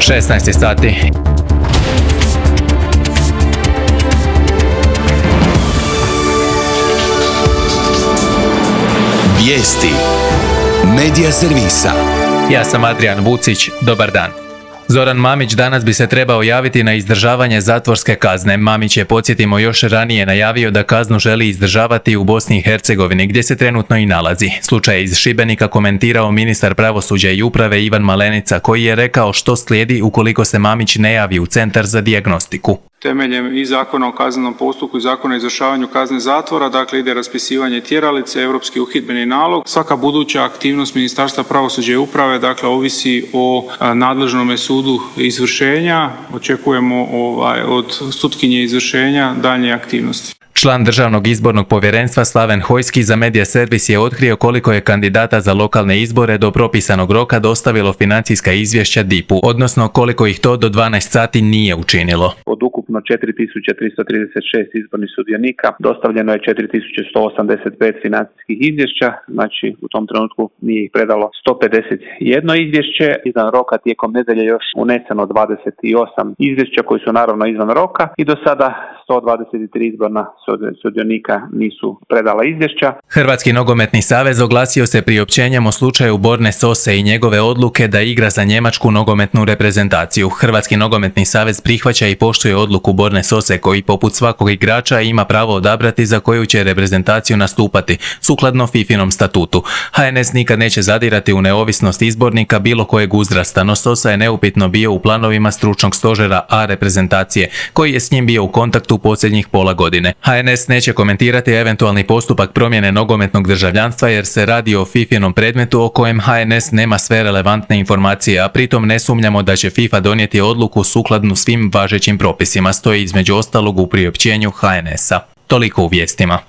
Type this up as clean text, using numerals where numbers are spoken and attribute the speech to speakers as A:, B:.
A: 16 sati.
B: Vijesti Medija servisa.
A: Ja sam Adrian Vucić, dobar dan. Zoran Mamić danas bi se trebao javiti na izdržavanje zatvorske kazne. Mamić je, podsjetimo, još ranije najavio da kaznu želi izdržavati u Bosni i Hercegovini, gdje se trenutno i nalazi. Slučaj iz Šibenika komentirao ministar pravosuđa i uprave Ivan Malenica, koji je rekao što slijedi ukoliko se Mamić ne javi u centar za dijagnostiku.
C: Temeljem i Zakona o kaznenom postupku i Zakona o izvršavanju kazne zatvora, dakle ide raspisivanje tjeralice, europski uhidbeni nalog. Svaka buduća aktivnost Ministarstva pravosuđa i uprave, dakle, ovisi o nadležnom sudu izvršenja. Očekujemo od sutkinje izvršenja daljnje aktivnosti.
A: Član Državnog izbornog povjerenstva Slaven Hojski za Medija servis je otkrio koliko je kandidata za lokalne izbore do propisanog roka dostavilo financijska izvješća DIP-u, odnosno koliko ih to do 12 sati nije učinilo.
D: Od ukupno 4336 izbornih sudionika dostavljeno je 4185 financijskih izvješća, znači u tom trenutku nije ih predalo 151 izvješće. Izvan roka tijekom nedelje još uneseno 28 izvješća koji su naravno izvan roka i do sada 123 izborna sudionika nisu predala izvješća.
A: Hrvatski nogometni savez oglasio se priopćenjem o slučaju Borne Sose i njegove odluke da igra za njemačku nogometnu reprezentaciju. Hrvatski nogometni savez prihvaća i poštuje odluku Borne Sose, koji poput svakog igrača ima pravo odabrati za koju će reprezentaciju nastupati, sukladno FIFInom statutu. HNS nikad neće zadirati u neovisnost izbornika bilo kojeg uzrasta, no Sosa je neupitno bio u planovima stručnog stožera A reprezentacije, koji je s njim bio u kontaktu posljednjih pola godine. HNS neće komentirati eventualni postupak promjene nogometnog državljanstva jer se radi o FIFInom predmetu o kojem HNS nema sve relevantne informacije, a pritom ne sumnjamo da će FIFA donijeti odluku sukladnu svim važećim propisima, stoji između ostalog u priopćenju HNS-a. Toliko u vijestima.